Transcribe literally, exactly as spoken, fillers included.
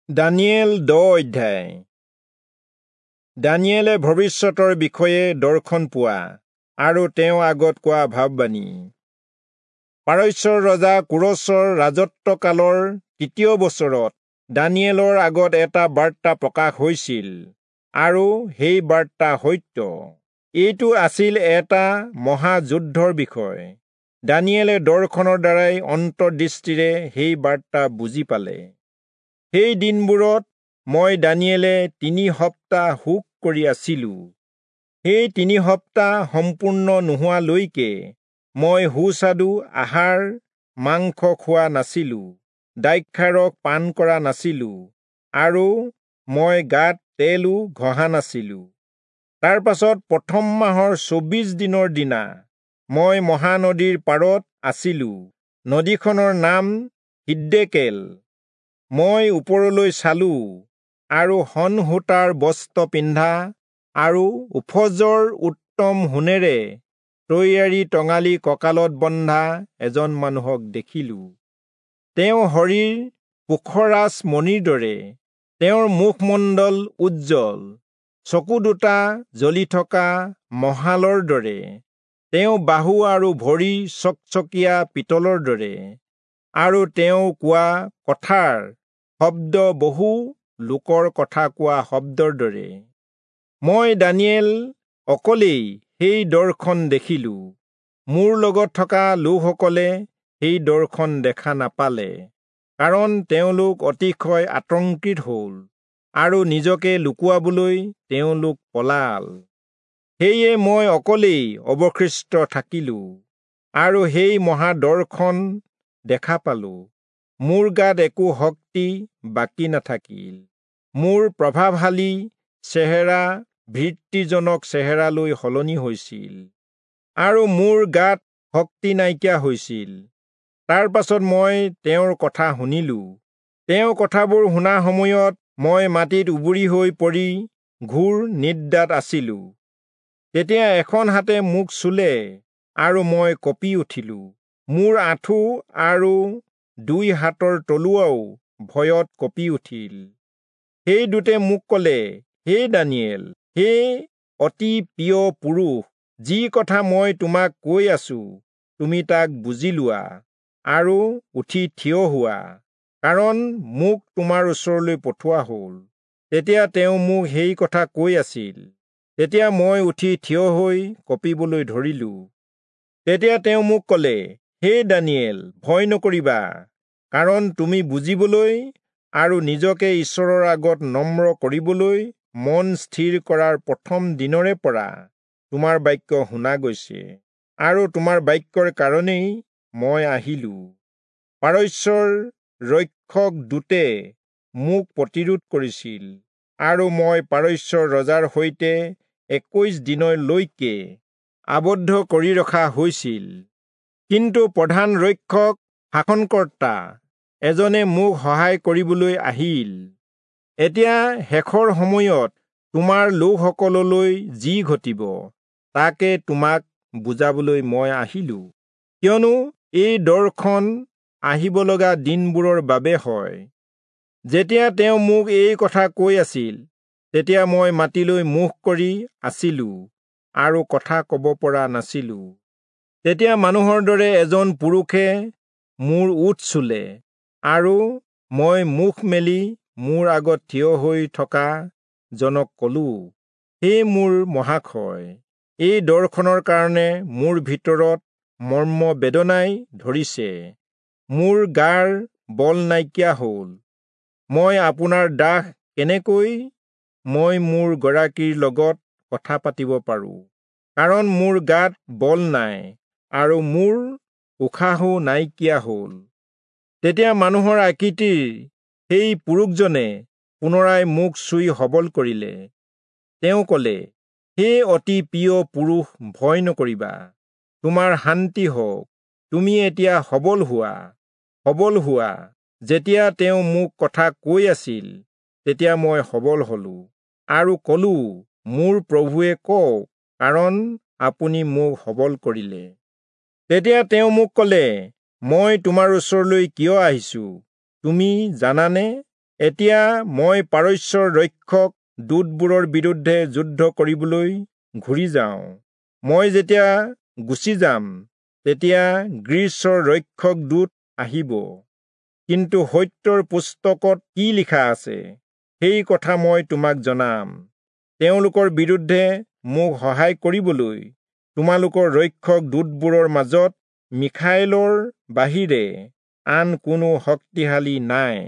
দানিয়েল দহ অধ্যায়। দানিয়েলে ভৱিষ্যতৰ বিষয়ে দৰ্শন পোৱা আৰু তেওঁ আগত কোৱা ভাববাণী। পাৰস্যৰ ৰজা কোৰচৰ ৰাজত্বকালৰ তৃতীয় বছৰত দানিয়েলৰ আগত এটা বাৰ্তা প্ৰকাশ হৈছিল আৰু সেই বাৰ্তা সত্য। এইটো আছিল এটা মহাযুদ্ধৰ বিষয়। দানিয়েলে দৰ্শনৰ দ্বাৰাই অন্তৰ্দৃষ্টিৰে সেই বাৰ্তা বুজি পালে। সেই দিনবোৰত মই দানিয়েলে তিনি সপ্তাহ শোক কৰি আছিলো। সেই তিনি সপ্তাহ সম্পূৰ্ণ নোহোৱালৈকে মই সুস্বাদু আহাৰ মাংস খোৱা নাছিলো, দ্ৰাক্ষাৰস পান কৰা নাছিলো আৰু মই গাত তেলো ঘঁহা নাছিলো। তাৰ পাছত প্ৰথম মাহৰ চৌবিশ দিনৰ দিনা মই মহানদীৰ পাৰত আছিলো। নদীখনৰ নাম হিদ্দেকেল। মই ওপৰলৈ চালো আৰু শণ সূতাৰ বস্ত্ৰ পিন্ধা আৰু ওফজৰ উত্তম সোণেৰে তৈয়াৰী টঙালি কঁকালত বন্ধা এজন মানুহক দেখিলো। তেওঁৰ শৰীৰ পোখৰাজ মণিৰ দৰে, তেওঁৰ মুখমণ্ডল উজ্জ্বল, চকু দুটা জ্বলি থকা মহালৰ দৰে, তেওঁ বাহু আৰু ভৰি চকচকীয়া পিতলৰ দৰে, আৰু তেওঁ কোৱা কথাৰ শব্দ বহু লোকৰ কথা কোৱা শব্দৰ দৰে। মই দানিয়েল অকলেই সেই দৰ্শন দেখিলো। মোৰ লগত থকা লোকসকলে সেই দৰ্শন দেখা নাপালে, কাৰণ তেওঁলোক অতিশয় আতংকিত হ'ল আৰু নিজকে লুকুৱাবলৈ তেওঁলোক পলাল। সেয়ে মই অকলেই অৱশিষ্ট থাকিলো আৰু সেই মহাদৰ্শন দেখা পালো। মোৰ গাত একো শক্তি বাকী নাথাকিল। মোৰ প্ৰভাৱশালী চেহেৰা ভীতিজনক চেহেৰালৈ সলনি হৈছিল আৰু মোৰ গাত শক্তি নাইকিয়া হৈছিল। তাৰ পাছত মই তেওঁৰ কথা শুনিলো। তেওঁ কথাবোৰ শুনা সময়ত মই মাটিত উবুৰি হৈ পৰি ঘোৰ নিদ্ৰাত আছিলো। তেতিয়া এখন হাতে মোক চুলে আৰু মই কঁপি উঠিলো। মোৰ আঁঠু আৰু দুই হাতৰ তলুৱাও ভয়ত কঁপি উঠিল। সেই দূতে মোক ক'লে, হে দানিয়েল, হে অতি প্ৰিয় পুৰুষ, যি কথা মই তোমাক কৈ আছো তুমি তাক বুজি লোৱা আৰু উঠি থিয় হোৱা, কাৰণ মোক তোমাৰ ওচৰলৈ পঠোৱা হ'ল। তেতিয়া তেওঁ মোক সেই কথা কৈ আছিল। তেতিয়া মই উঠি থিয় হৈ কঁপিবলৈ ধৰিলো। তেতিয়া তেওঁ মোক ক'লে, হে দানিয়েল, ভয় নকৰিবা, কাৰণ তুমি বুজিবলৈ আৰু নিজকে ঈশ্বৰৰ আগত নম্ৰ কৰিবলৈ মন স্থিৰ কৰাৰ প্ৰথম দিনৰে পৰা তোমাৰ বাক্য শুনা গৈছে, আৰু তোমাৰ বাক্যৰ কাৰণেই মই আহিলো। পাৰস্যৰ ৰক্ষক দূতে মোক প্ৰতিৰোধ কৰিছিল আৰু মই পাৰস্যৰ ৰজাৰ সৈতে একৈশ দিনলৈকে আবদ্ধ কৰি ৰখা হৈছিল। কিন্তু প্ৰধান ৰক্ষক শাসনকৰ্তা এজনে মোক সহায় কৰিবলৈ আহিল। এতিয়া শেষৰ সময়ত তোমাৰ লোকসকললৈ যি ঘটিব তাকে তোমাক বুজাবলৈ মই আহিলো, কিয়নো এই দৰ্শন আহিব লগা দিনবোৰৰ বাবে হয়। যেতিয়া তেওঁ মোক এই কথা কৈ আছিল, তেতিয়া মই মাটিলৈ মুখ কৰি আছিলো আৰু কথা ক'ব পৰা নাছিলো। তেতিয়া মানুহৰ দৰে এজন পুৰুষে মোৰ ওঁঠ চুলে আৰু মই মুখ মেলি মোৰ আগত থিয় হৈ থকা জনক ক'লো, হে মোৰ মহাশয়, এই দৰ্শনৰ কাৰণে মোৰ ভিতৰত মৰ্ম বেদনাই ধৰিছে, মোৰ গাৰ বল নাইকিয়া হ'ল। মই আপোনাৰ দাস কেনেকৈ মই মোৰ গৰাকীৰ লগত কথা পাতিব পাৰোঁ? কাৰণ মোৰ গাত বল নাই আৰু মোৰ উশাহো নাইকিয়া হ'ল। তেতিয়া মানুহৰ আকৃতিৰ সেই পুৰুষজনে পুনৰাই মোক চুই সবল কৰিলে। তেওঁ ক'লে, হে অতি প্ৰিয় পুৰুষ, ভয় নকৰিবা, তোমাৰ শান্তি হওক, তুমি এতিয়া সবল হোৱা, সবল হোৱা। যেতিয়া তেওঁ মোক কথা কৈ আছিল, তেতিয়া মই সবল হলো আৰু ক'লো, মোৰ প্ৰভুৱে কওক, কাৰণ আপুনি মোক সবল কৰিলে। তেতিয়া তেওঁ মোক ক'লে, মই তোমাৰ ওচৰলৈ কিয় আহিছো তুমি জানানে? এতিয়া মই পাৰস্যৰ ৰক্ষক দূতবোৰৰ বিৰুদ্ধে যুদ্ধ কৰিবলৈ ঘূৰি যাওঁ। মই যেতিয়া গুচি যাম, তেতিয়া গ্ৰীচৰ ৰক্ষক দূত আহিব। কিন্তু সত্যৰ পুস্তকত কি লিখা আছে, সেই কথা মই তোমাক জনাম। তেওঁলোকৰ বিৰুদ্ধে মোক সহায় কৰিবলৈ তোমালোকৰ ৰক্ষক দূতবোৰৰ মাজত মিখায়েলৰ বাহিৰে আন কোনো শক্তিশালী নাই।